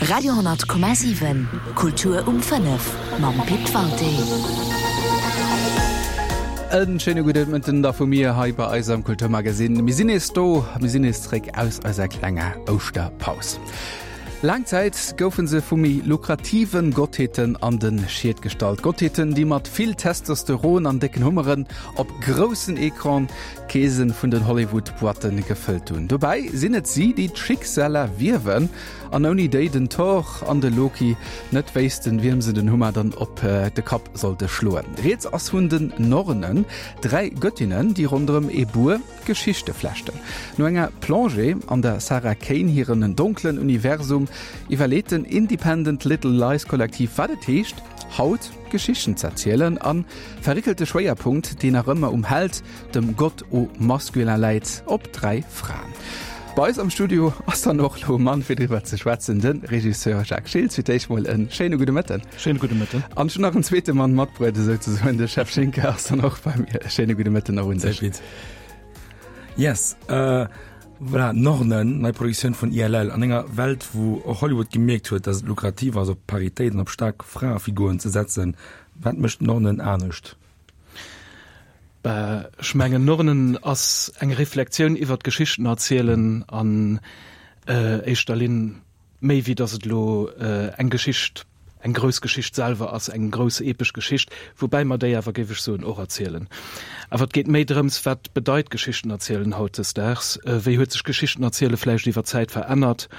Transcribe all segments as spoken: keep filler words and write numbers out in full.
Radio honnert Komma siwen, Kultur um fënnef mam Pit Walté. En schéine gudde Mëtten da vu mir hei bei eis am Kulturmagazin. Mir sinn nees do, mir sinn nees zréck aus eiser klenger Ouschterpaus. Laang Zäit goufe se vu méi lukrativen Gottheeten an de Schiet gestallt. Gottheeten, déi mat vill Testosteron an décken Hummeren op groussen Ecran d'Keese vun den Hollywood-Boîtte gefëllt hunn. Dobäi sinn et si, déi d'Schicksaler wiewen an ouni déi den Thor an de Loki net wéissten, wiem se den Hummer dann op de Kapp sollte schloen. Rieds ass vun den Nornen, dräi Göttinnen, déi ronderëm ee Buer Geschichte flechten. No enger Plongée an der Sarah Kane hiren donklen Universum iwwerleet den Independent Little Lies Kollektiv, wat et heescht, haut Geschichten z'erzielen a verréckelt de Schwéierpunkt, deen nach ëmmer um Held, dem Gott au masculin läit, op dräi Fraen. Bei eis am Studio ass dann och elo e Mann fir driwwer ze schwätzen, de Regisseur Jacques Schiltz. Fir d'éischt mol e schéine gudde Mëtten. Schéine gudde Mëtten. An ech hunn nach en zweete Mann matbruet, esouzesoen, de Jeff Schinker ass dann och bei mir. E schéine gudde Mëtten och un dech. Sehr gut. Yes, äh, voilà, Nornen, nei Produktioun vun I L L, an enger Welt, wou och Hollywood gemierkt huet, dass et lukrativ ass, op Paritéit an op staark Fraefiguren ze setzen. Wat mécht Nornen anescht? Bah, ech mengen, Nornen ass eng Reflexioun iwwer d'Geschichten erzielen an éischter Linn, méi wéi dass et elo eng Geschicht, eng grouss Geschicht selwer ass, eng grouss epesch Geschicht, woubäi mer déi awer, géif ech soen, och erzielen. Awer et geet méi drëms, wat bedeit Geschichten erzielen hautdesdaags, wéi huet sech Geschichten erziele vläicht iwwer d'Zäit verännert?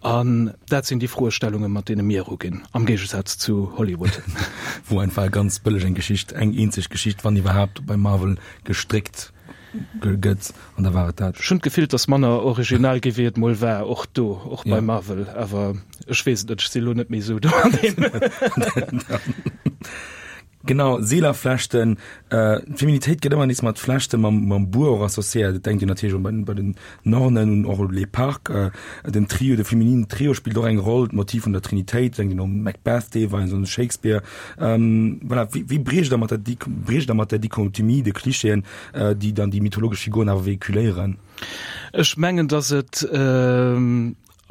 An dat sinn déi Froestellungen, mat deene mir eruginn, am Géigesaz zu Hollywood. Wou einfach ganz bëlleg eng Geschicht, eng eenzeg Geschicht, wann iwwerhaapt, bei Marvel gestréckt gëtt an da war et dat. Ech hunn d'Gefill, et ass manner original gi wéi et mol war, och do, och bei Marvel, awer ech weess et net, ech si lo net méi esou do an deem. Genau, Seelerflechten. D'Feminitéit gëtt ëmmer nees mat Flechte mam, mam Buer och associéiert. Et denkt een natierlech och bei, bei den Nornen un och Les Parcs. Den Trio, de femininen Trio spillt och eng Roll, d'Motiv vun der Trinitéit, denkt een un Macbeth deelweis, un Shakespeare. Voilà, wéi, wéi briecht Der mat der, briecht Der mat der Dichotomie, de Klischeeën, déi dann déi mythologesch Figuren awer véhiculéieren? Ech mengen, datt et,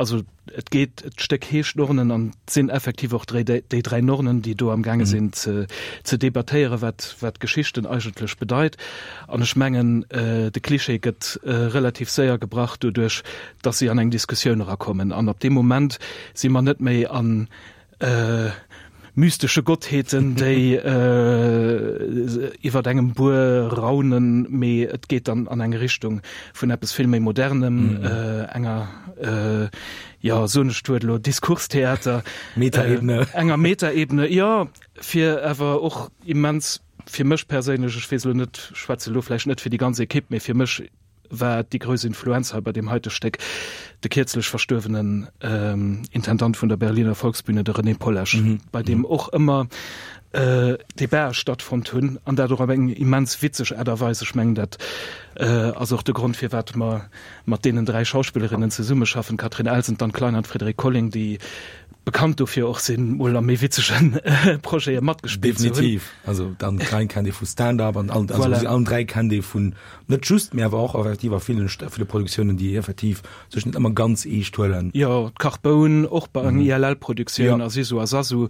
Also et geet, d'Stéck heescht Nornen an et sinn effektiv och dréi, déi dräi Nornen, déi do am gaange sinn ze, ze debattéieren, wat, wat Geschichten eigentlech bedeit. An ech mengen, de Klischee gëtt relativ séier gebrach doduerch, datt si an eng Diskussioun erakommen. An ab deem Moment si mer net méi an mystesche Gottheeten, déi iwwert engem Buer raunen, mee et geet dann an eng Richtung vun eppes vill méi Modernem, enger, jo, soen ech d'Wuert elo, Diskurstheater, Metaebene, enger Metaebene, jo, fir awer och immens, fir mech perséinlech, ech weess elo net, schwätze elo vläicht net fir déi ganz Ekipp, mee fir mech war déi grouss Influenz hei bei deem heite Stéck de kierzlech verstuerwenen Intendant vun der Berliner Volksbühne, de René Pollesch, bei deem och ëmmer Debatë stattfonnt hunn, an dat och op eng immens witzeg Aart a Weis. Ech mengen, dat ass och de Grond, firwat mer mat deenen dräi Schauspillerinnen zesummeschaffen, d'Catherine Elsen, d'Anne Klein an d'Frédérique Colling, déi bekannt dofir och sinn, mol a méi witzege Projete matgespillt ze hunn. Definitiv. Also d'Anne Klein kennt ee vu Stand-up an also si allen dräi kennt ee vun net just, mee awer och effektiv a villen, ville Produktiounen, déi effektiv sech net ëmmer ganz eescht huelen. Jo, d'Carbone och bei enger I L L-Produktioun a Sisu a Sasu.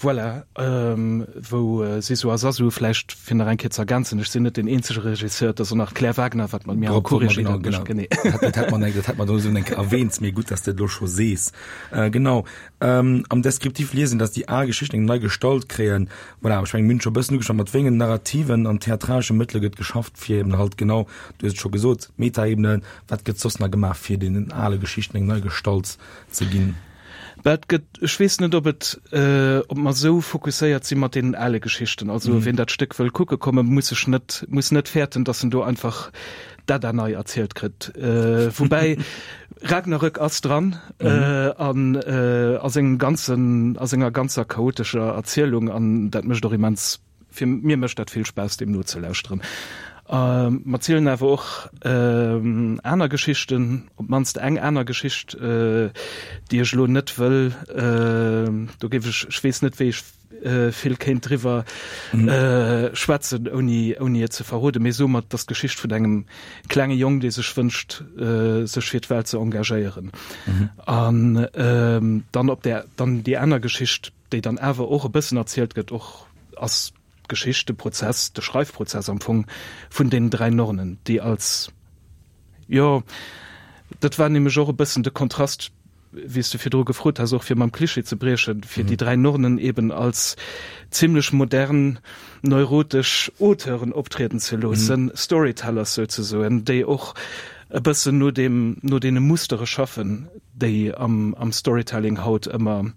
Voilà, wou Sisu a Sasu, vläicht fir nach eng Kéier ze ergänzen, ech sinn net deen eenzege Regisseur, et ass och nach d'Claire Wagner, wat mat mir am Co-Regie dat mécht. Genee. Dat hätt mer, dat hätt mer do esou eng Kéier erwähnt, mee gutt, dass de et elo scho sees. Genau, am Descriptif liesen, dass déi al Geschichten eng nei Gestalt kréien. Voilà, ech mengen, mir hunn scho e bëssen ugeschwat, mat wéi engen narrativen an theatralesche Mëttele gëtt geschafft, fir eben halt genau, du hues et scho gesot, Metaebene, wat gëtt soss nach gemaach, fir deenen ale Geschichten eng nei Gestalt ze ginn? Bah, et gëtt, ech weess net, ob et, ob mer esou fokusséiert si mat deenen ale Geschichten. Also wien dat Stéck wëll kucke kommen, muss sech net, muss net fäerten, datt en do einfach d'Edda nei erzielt kritt. Woubäi Ragnarök ass dran an a sengem ganzen, a senger ganzer chaotescher Erzielung an dat mécht och immens, fir mir mécht dat vill Spaass, deem nozelauschteren. Mer zielen awer och aner Geschichten, op d'mannst eng aner Geschicht, déi ech elo net wëll, do géif ech, ech weess net, wéi ech vill kéint driwwer schwätzen, ouni, ouni et ze verroden. Mee soe mer, et ass d'Geschicht vun engem klenge Jong, dee sech wënscht, sech fir d'Welt ze engagéieren. An dann op där, dann déi aner Geschicht, déi dann awer och e bëssen erzielt gëtt, och ass d'Geschicht, de Prozess, de Schreifprozess am Fong vun deenen dräi Nornen, déi als, jo, dat war nämlech och e bëssen de Kontrast, wéi s du virdru gefrot has, och fir mam Klischee ze briechen, fir déi dräi Nornen eben als zimlech modern, neurotesch Auteuren optrieden ze loossen, Storytellers souzesoen, déi och e bëssen no deem, no deene Mustere schaffen, déi am, am Storytelling haut ëmmer,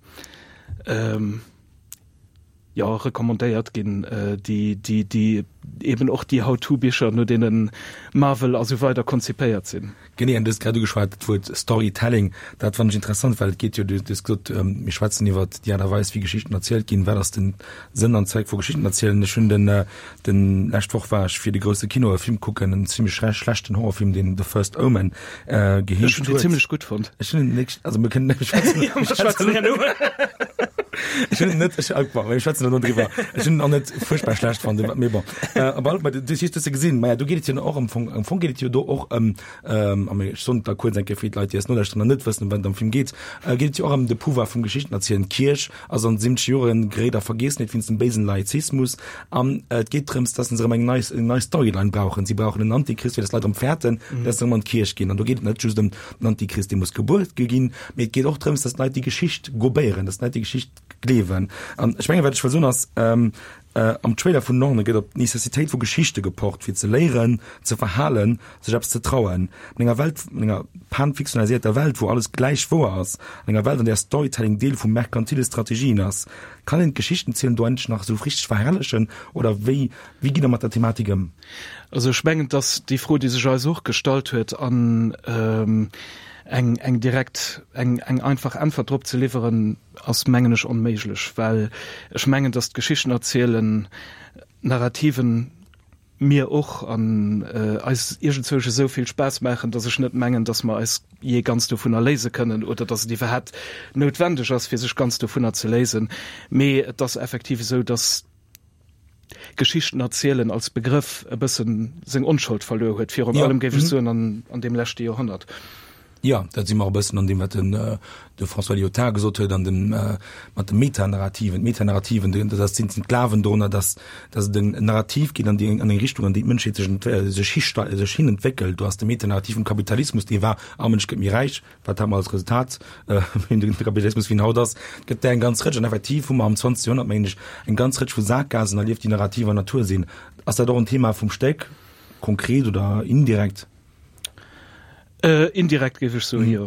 jo, recommandéiert ginn, déi, déi, déi eben och déi How-to-Bicher, no deene Marvel a sou weider konzipéiert sinn. Genee, an du hues grad ugeschwat, d'Wuert Storytelling, dat fannen ech interessant, well et geet jo, du hues gesot, mir schwätzen iwwer déi Aart a Weis, wéi Geschichten erzielt ginn, wat ass den Sënn an Zweck vu Geschichten erzielen. Ech hunn den, den, lescht Woch war ech fir de grousse Kino e Film kucken, en zimlech schlechten Horrorfilm, deen The First Omen geheescht huet. Ech hunn deen zimlech gutt fonnt. Ech hunn en net, also mir kënnen, mir schwätzen, mir schwätzen herno. Ech hunn en net, ech, bon, mir schwätzen herno driwwer. Ech hunn en och net fuerchtbar schlecht fonnt, mee bon. Op alle Fall, du hues se gesinn. Maja, do geet et jo och am Fong, am Fong geet et jo do och ëm, a mir, ech soen et da kuerz eng Kéier fir d'Leit, déi eis nolauschteren an net wëssen, ëm wat et am Film geet, geet et jo och ëm de Pouvoir vum Geschichten erzielen. D'Kierch ass an de siwwenzeger Joren geréit a Vergiessenheet wéinst dem béisen Laizismus an et geet drëms, dass se erëm eng nei, eng nei Storyline brauchen. Si brauchen en Antichrist, fir dass d'Leit erëm fäerten, dass se erëm an d'Kierch ginn. An do geet et net just ëm den Antichrist, dee muss gebuer ginn, mee et geet och drëms, dass d'Leit déi Geschicht gobéieren, dass d'Leit déi Geschicht gleewen. An ech mengen, wat ech wëll soen ass, am Trailer vun Norne gëtt op d'Necessitéit vu Geschichte gepocht, fir ze léieren, ze verhalen, sech eppes ze trauen. An enger Welt, an enger pan-fiktionalisierter Welt, wou alles gläich wouer ass, an enger Welt, an där Storytelling Deel vu merkantile Strategien ass, kann een d'Geschichtenzielen do endlech nach esou richteg verherrlechen oder wéi, wéi gitt Der mat der Thematik ëm? Also ech mengen, et ass déi Fro, déi sech eis och gestallt huet an eng, eng direkt, eng, eng einfach Äntwert drop ze liwweren, ass, mengen ech, onméiglech, well ech mengen, datt d'Geschichten erzielen, Narrativen mir och an eis iergendzwousch esou vill Spaass maachen, datt ech net mengen, datt mer eis jee ganz dovunner léise kënnen oder datt et iwwerhaapt noutwendeg ass, fir sech ganz dovunner ze léisen. Mee et ass effektiv esou, datt Geschichten erzielen als Begrëff e bëssen seng Onschold verluer huet, virun allem, géif ech soen, an deem leschte Joerhonnert. Jo, dat si mer och e bëssen an deem, wat den de François Lyotard gesot huet, an dem mat de Metanarrativen. D'Metanarrativen, dat ass sinn d'Glawen dorunner, datt datt et en Narrativ ginn an déi an eng Richtung, an déi d'Mënschheet sech sech histei sech hin entwéckelt. Do ass de Metanarrativ vum Kapitalismus, dee war, All Mënsch gëtt méi räich. Wat hat mer als Resultat? De Kapitalismus, wéi en haut ass. Et gëtt där eng ganz Rëtsch. An effektiv hu mer am zwanzegste Joerhonnert, mengen ech, eng ganz Rëtsch vu Saakgaasen erlieft, déi narrativer Natur sinn. Ass dat och en Thema vum Stéck, konkret oder indirekt? Indirekt géif ech soen, jo.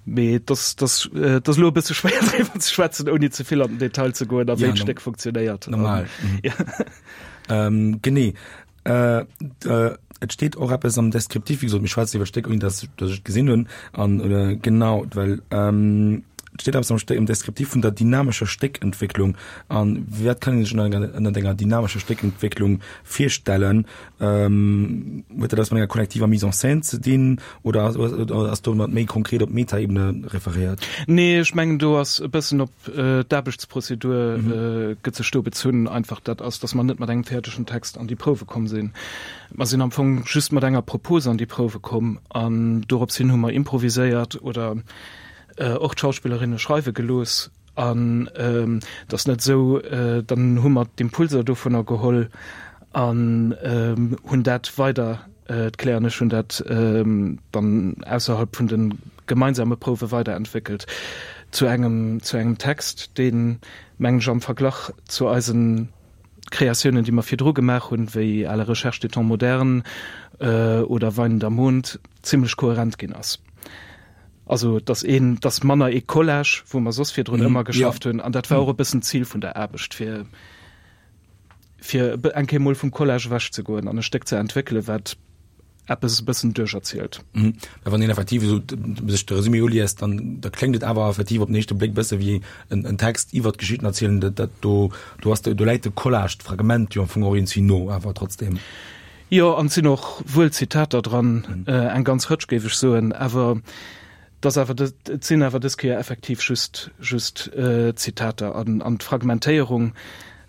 Mee et ass, et ass, et ass elo e bësse schwéier driwwer ze schwätzen, ouni ze vill an den Detail ze goen a wéi d'Stéck funktionéiert. Normal. Genee. Et steet och eppes am Descriptif, wéi gesot, mir schwätzen iwwer d'Stéck, ouni datt ech et gesinn hunn. An genau, well et steet eppes am Stéck, am Descriptif vun der dynamescher Stéckentwécklung. An wat kann ee sech ënner enger dynamescher Stéckentwécklung virstellen? Huet dat eppes mat enger kollektiver Mise en scène ze dinn oder ass domat méi konkret op d'Metaebene referéiert? Nee, ech mengen do ass e bëssen op d'Aarbechtsprozedur gëtt sech do bezunn. Einfach dat ass, datt mer net mat engem fäerdegen Text an déi Prouwe komm sinn. Mer sinn am Fong just mat enger Propose an déi Prouwe komm an dorops hin hu mer improviséiert oder och d'Schauspillerinne schreiwe gelooss. An et ass net esou, dann hu mer d'Impulser dovunner geholl an hunn dat weider, d'Claire an ech hunn dat dann ausserhalb vun de gemeinsame Prouwe weiderentwéckelt zu engem, zu engem Text, deen, mengen ech, am Verglach zu eise Kreatiounen, déi mer virdru gemaach hunn, wéi À la recherche des temps modernes oder Weinender Mond, zimlech kohärent ginn ass. Also et ass een, et ass manner ee Collage, wou mer soss virdrun ëmmer geschafft hunn. An dat war och e bëssen d'Zil vun der Aarbecht, fir fir eng Kéier mol vum Collage ewech ze goen an e Stéck ze entwéckelen, wat eppes e bëssen duercherzielt. Mä wann een effektiv esou sech de Resumé uliest, dann da kléngt et awer effektiv op den éischte Bléck bësse wéi en en Text iwwer d'Geschichten erzielen. Dat dat do do ass do läit de Collage, d'Fragment jo am Fong och iergendwéi no, awer trotzdem. Jo, an et sinn och wuel Zitater dran, eng ganz Rëtsch géif ech soen, awer Et ass awer, et sinn awer dës Kéier effektiv just, just Zitater. An, an d'Fragmentéierung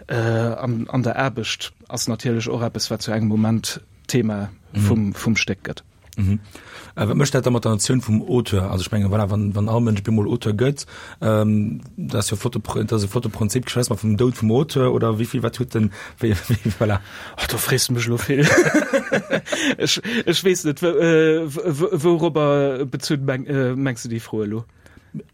an, an der Aarbecht ass natierlech och eppes, wat zu engem Moment Thema vum, vum Stéck gëtt. Mhm. Äh, wat mécht dat da mat der Notioun vum Auteur? Also ech mengen, voilà, wann, wann all Mënsch bemol Auteur gëtt, ähm, dat ass jo flotte, dat ass e flotte Prinzip, schwätze mer vum Doud vum Auteur oder wéi vill, wat huet den, wéi, wéi, voilà. Ach, do frees de mech elo vill. Ech, ech weess net, wourobber bezunn meng, mengs de déi Fro elo?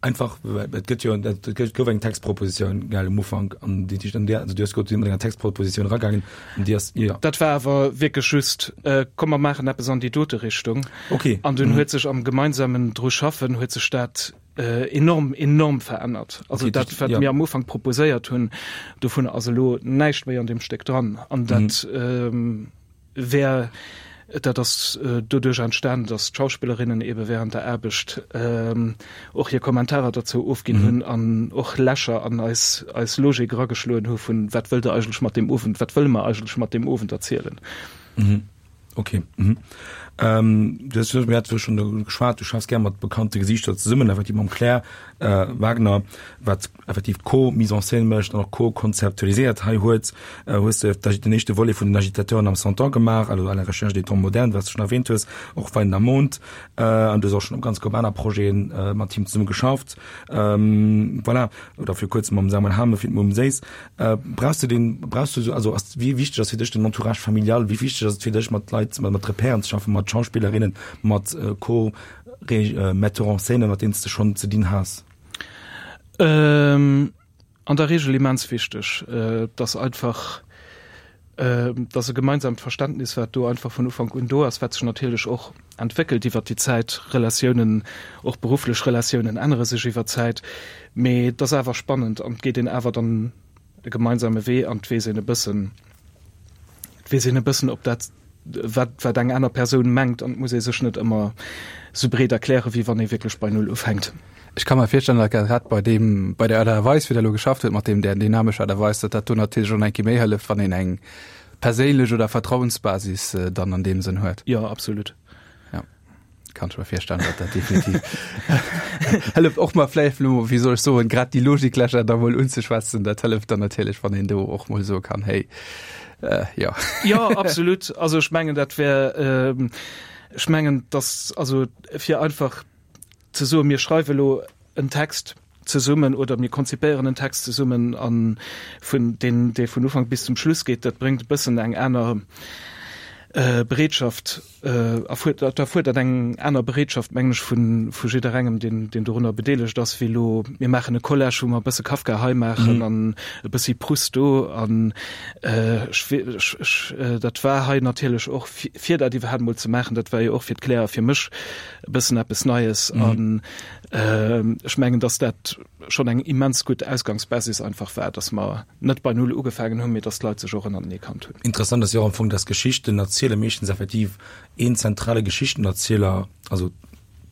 Einfach, et gëtt jo, et gouf eng Textpropositioun, gell, um Ufank, an déi, déi, an där, also du hues gesot, du si mat enger Textpropositioun eragaangen, an déi ass, jo. Dat war awer wierklech just, komm mer maachen eppes an déi dote Richtung. Okay. An dunn huet sech am gemeinsamen dru schaffen, huet sech dat enorm, enorm verännert. Also dat, wat mir am Ufank proposéiert hunn, dovun ass elo näischt méi an deem Stéck dran. An dat wär, dat ass doduerch entstan, datt d'Schauspillerinnen ebe während der Aarbecht och hir Kommentarer derzou ofginn hunn an och Lächer an eis, eis Logik erageschloen hu vun, wat wëllt Der eigentlech mat deem Owend, wat wëlle mer eigentlech mat deem Owend erzielen? Okay. Mhm. Ähm, du hast, mir hat schon geschwat, du schaffst gär mat bekannte Gesichter zesummen, effektiv mam Claire äh, Wagner, wat effektiv Co-Mise en scène mécht an och co-konzeptualiséiert. Hei huet äh, hues de den éischte Volet vun den Agitateuren am Cent Ans gemaach, also à la recherche des temps modernes, wat du schon erwähnt hues, och Wein am Mond, äh, an du hues och schon op ganz grob aner Projeten äh, mat him zesumme geschafft. Ähm, voilà, oder fir kuerzem mam Samuel Hamen fir d'Mumm Séiss. Äh, brauchst du den, brauchst du so, also ass, wéi wichteg ass fir dech den Entourage familial, wéi wichteg ass et fir dech mat Leit, mat, mat Repairen ze schaffen, mat Schauspillerinnen, mat äh, Co äh, Metteur en scène, mat deenen s de schonn ze dinn has? Ähm, an der Regel immens wichteg, äh, dass einfach äh, dass e gemeinsamt Verständnis, wat do einfach vun Ufank un do ass, wat sech natierlech och entwéckelt iwwer déi Zäit, Relatiounen, och berufflech Relatiounen ännere sech iwwer d'Zäit, mee et ass awer spannend an et geet een awer dann e gemeinsame Wee an et weess een e bëssen, et weess een e bëssen, ob dat wat, wat eng aner Persoun mengt an et muss ee sech net ëmmer sou breet erklären, wéi wann ee wierklech bei Null ufänkt. Ech ka mer virstellen, datt grad bei deem, bei der Aart a Weis, wéi Der elo geschafft hutt, mat deem, där dynamescher Aart a Weis, datt dat do natierlech och nach eng Kéier méi hëlleft, wann een eng perséinlech oder Vertrauensbasis dann an deem Sënn huet. Jo, absolut. Ja, kann ech mer virstellen, datt dat definitiv hëlleft, och mol vläicht elo, wéi soll ech soen, grad déi Logiklächer da mol unzeschwätzen. Dat hëlleft dann natierlech, wann een do och mol soe kann, Hey, äh, jo. Jo, absolut. Also ech mengen, dat wär, ech mengen, datt, also fir einfach ze soen, mir schreiwe elo en Text zesummen oder mir konzipéieren en Text zesummen a vun deen, dee vun Ufank bis zum Schluss geet, dat bréngt e bëssen eng aner Bereetschaft, erfuerdert, erfuerdert eng aner Bereetschaft, mengen ech, vu vu jidderengem, deen, deen dorunner bedeelegt ass, wéi elo mir maachen e Collage, wou mer e bësse Kafka hei maachen an e bëssi Proust do. An ech, ech, ech, dat war hei natierlech och, fir dat iwwerhaapt emol ze maachen, dat war jo och fir d'Claire a fir mech e bëssen eppes Neies. An ech mengen, datt dat schonn eng immens gutt Ausgangsbasis einfach war, datt mer net bei Null ugefaangen hunn, mee datt d'Leit sech och ënnertenee kannt hunn. Interessant ass jo och am Fong, datt Geschichten erziele meeschtens effektiv een zentrale Geschichtenerzieler, also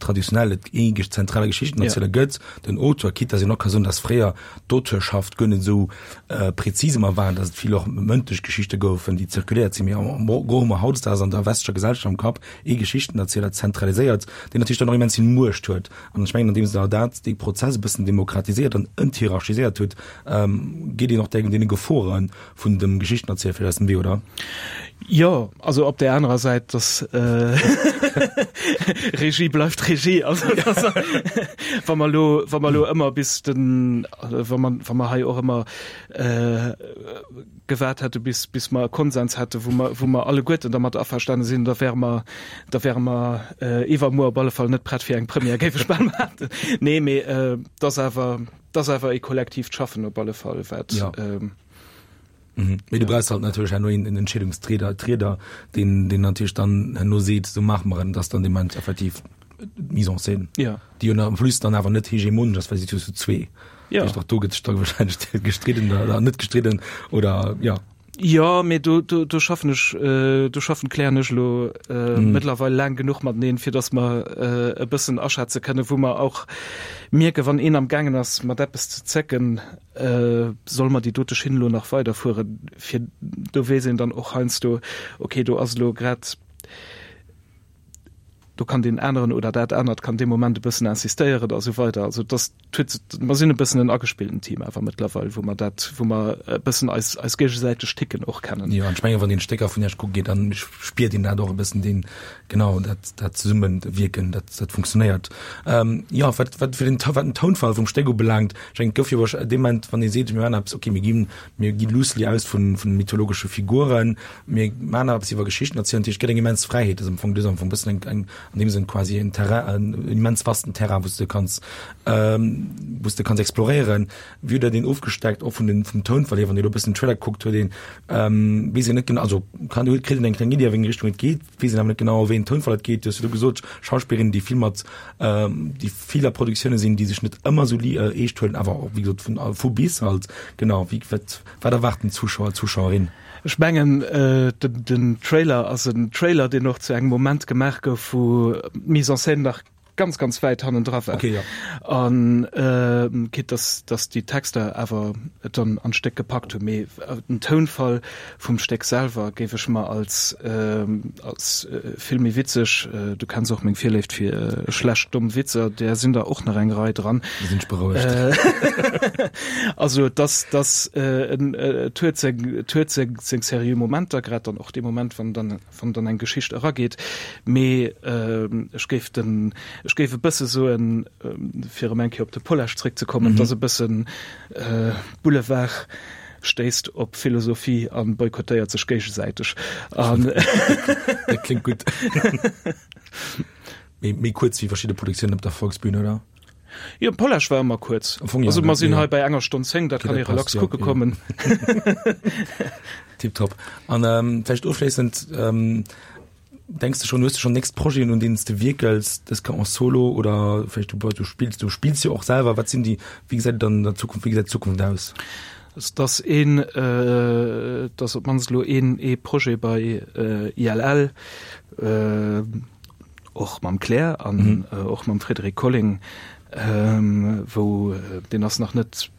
traditionell et ee zentrale Geschichtenerzieler gëtt, den Auteur, quitte datt een och ka soen, datt fréier d'Auteurschaft guer net esou prezis ëmmer war, datt et vill och mëndlech Geschichte goufen, déi zirkuléiert sinn, mee am Gros hu mer hautdesdaags an der westlecher Gesellschaft am Kapp ee Geschichtenerzieler zentraliséiert, deen natierlech dann och immens vill Muecht huet. An ech mengen, andeems Der dat, dee Prozess e bëssen demokratiséiert an enthierarchiséiert hutt, geet een och deene Gefore vun dem Geschichtenerzieler vläicht aus dem Wee, oder? Jo, also op där anerer Säit, dass Regie bleift Regie. Also wa mer elo, wa mer elo ëmmer bis den, wa mer, wa mer hei och ëmmer gewaart hätte bis, bis mer e Konsens hätte wou mer, wou mer alleguerten dermat averstane sinn, da wäre mer, da wäre mer iwwermuer op alle Fall net prett fir eng Première, géif ech bal behaapten. Nee, mee et ass awer, et ass awer e kollektiivt Schaffen op alle Fall, wat. Ja. Mee du brauchs halt natierlech herno een Entscheedungstrieder, Trieder, deen, deen natierlech dann herno seet, esou maache mer et, dass dann dee Moment effektiv d'Mise en scène, ja. déi jo en plus dann awer net hegemonesch ass, well si zu zwee. Ja. Och do gëtt sech da wahrscheinlech gestridden oder net gestridden oder ja. Jo, mee do, do, do schaffen ech, äh, do schaffen d'Claire an ech elo äh, mm. mëttlerweil laang genuch mateneen, fir datt mer äh, e bëssen aschätze kënnen, wou mer och mierken, wann een am gaangen ass mat eppes ze zécken, äh, solle mer déi dote Schinn elo nach weiderfueren, fir do weess een dann och heiansdo, okay, do ass elo grad do kann deen aneren oder dat anert kann dee Moment e bëssen insistéieren a sou weider. Also dass huet, mer sinn e bëssen en agespillten Team awer mëttlerweil, wou mer dat, wou mer e bëssen eis, eis géigesäiteg Ticken och kennen. Jo, an ech mengen, wann een Stécker vun Iech kucke geet, dann spiert een dat och e bëssen, deen, genau, dat, dat Zesummewierken, dat, dat funktionéiert. Jo, wat, wat fir den, wat den Tounfall vum Stéck ubelaangt, ech mengen, et gouf jo wahrsch-, dee Moment, wann ee seet, mir maachen eppes, okay, mir ginn, mir gi loosely aus vun, vun mythologesche Figuren, mir maachen eppes iwwer Geschichten erzielen, dat heescht, et gëtt eng immens Fräiheet, dat ass am Fong, du hues am Fong e bëssen eng, eng, an deem Sënn quasi en Terrain, en immens vasten Terrain, wou s de kanns, wou s de kanns exploréieren. Wéi hutt Der deen ofgesteckt, och vun den, vum Tounfall hier, wann Dir elo e bëssen den Trailer gekuckt huet, een weess een net genau, also kann, huet, kritt een eng kleng Iddi a wéi eng Richtung et geet, weess een awer net genau a wéi een Tounfall et geet. Du hues elo gesot, Schauspillerinnen, déi vill mat, déi vill a Produktioune sinn, déi sech net ëmmer esou eescht huelen, awer och wéi gesot vun, vu bis halt. Genau, wéi, wat, wat erwaart den Zuschauer, d'Zuschauerin? Ech mengen, den Trailer ass en Trailer, deen och zu engem Moment gemaach gouf, wou d'Mise en scène nach ganz, ganz wäit hannendra war. Okay, ja. An quitte dass, dass déi Texter awer et dann an d'Stéck gepackt hunn. Mee den Tounfall vum Stéck selwer géif ech mer als, als vill méi witzeg, du kenns och meng Virléift fir schlecht domm Witzer, där sinn der och nach eng Rei dran. Da sinn ech berouegt. Also dass, dass et huet seng, et huet seng, seng seriö Momenter, grad dann och dee Moment, wann dann, wann dann eng Geschicht erageet. Mee ech géif den, ech géif e bësse soen, fir erëm eng Kéier op de Pollesch zréckzekommen, et ass e bëssen Boulevard stéisst op Philosophie a boykottéiert sech géigesäiteg. An Dat kléngt gutt. Méi, méi kuerz wéi verschidde Produktiounen op der Volksbühn, oder? Jo, Pollesch war ëmmer kuerz. Am Fong ja, Also mer sinn ja. hei bei enger Stonn zéng, dat Okay, kann ee dat passt, relax ja, kucke ja. kommen. Tiptop. An ähm, vläicht ofschléissend, ähm, Denks de schonn, hues de schonn nächst Projeten, un deenen s de wierkels, dës Kéier en solo oder vläicht du, du spills, du spills jo och selwer, wat sinn déi, wéi gesäit et dann an der Zukunft, wéi gesäit d'Zukunft aus? Et ass een, et ass op d'mannst elo een, ee Projet bei I L L, och mam Claire an och mam Frédéric Colling, wou, deen ass nach net,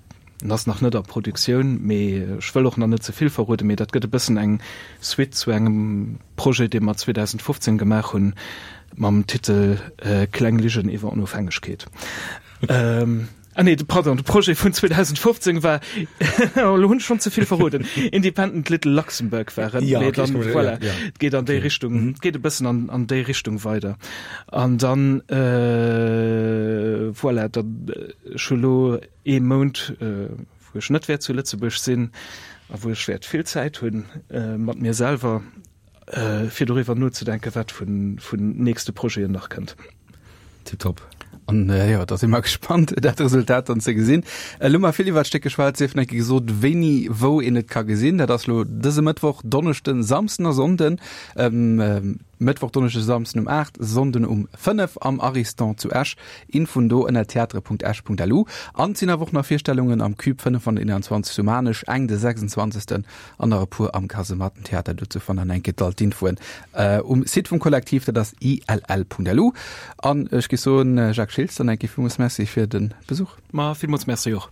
En ass nach net a Produktioun, mee ech wëll och nach net ze vill verroden, mee dat gëtt e bëssen eng Suite zu engem Projet, dee mer zweedausendfofzéng gemaach hunn, mam Titel Kleng Ligen iwwer Onofhängegkeet. Ah nee, pardon, de Projet vun zweedausendfofzéng war, elo hunn ech schonn ze vill verroden, Independent Little Luxembourg war et, mee dann, voilà, et geet an déi Richtung, et geet e bëssen an an déi Richtung weider. An dann, voilà, dann, ech hu lo ee Mount, wou ech net wäert zu Lëtzebuerg sinn a wou ech wäert vill Zäit hunn mat mir selwer, fir doriwwer nozedenken, wat vun nächste Projeten nach kënnt. Tiptop. An jo, da si mer gespannt, dat Resultat dann ze gesinn. Elo hu mer vill iwwer d'Stéck geschwat, sief nach eng Kéier gesot, wéini, wou een et ka gesinn. Dat ass elo dëse Mëttwoch, Donneschden, Samsden a Sonnden. Mëttwoch, Donneschden, Samsden um aacht, Sonnden um fënnef am Ariston zu Esch. Infoen do ënner theatre Punkt esch Punkt lu. An et sinn awer och nach Virstellungen am Cube fënnef an den eenanzwanzeg zu Maarnech, eng de sechsundzwanzegsten an nach e puer am Kasemattentheater. Dozou fannt der enke all d'Infoen um Site vum Kollektiv, dat ass I L L Punkt L U. An ech géif soen, Jacques Schiltz, dann enke villmools Merci fir de Besuch. Ma villmools Merci och.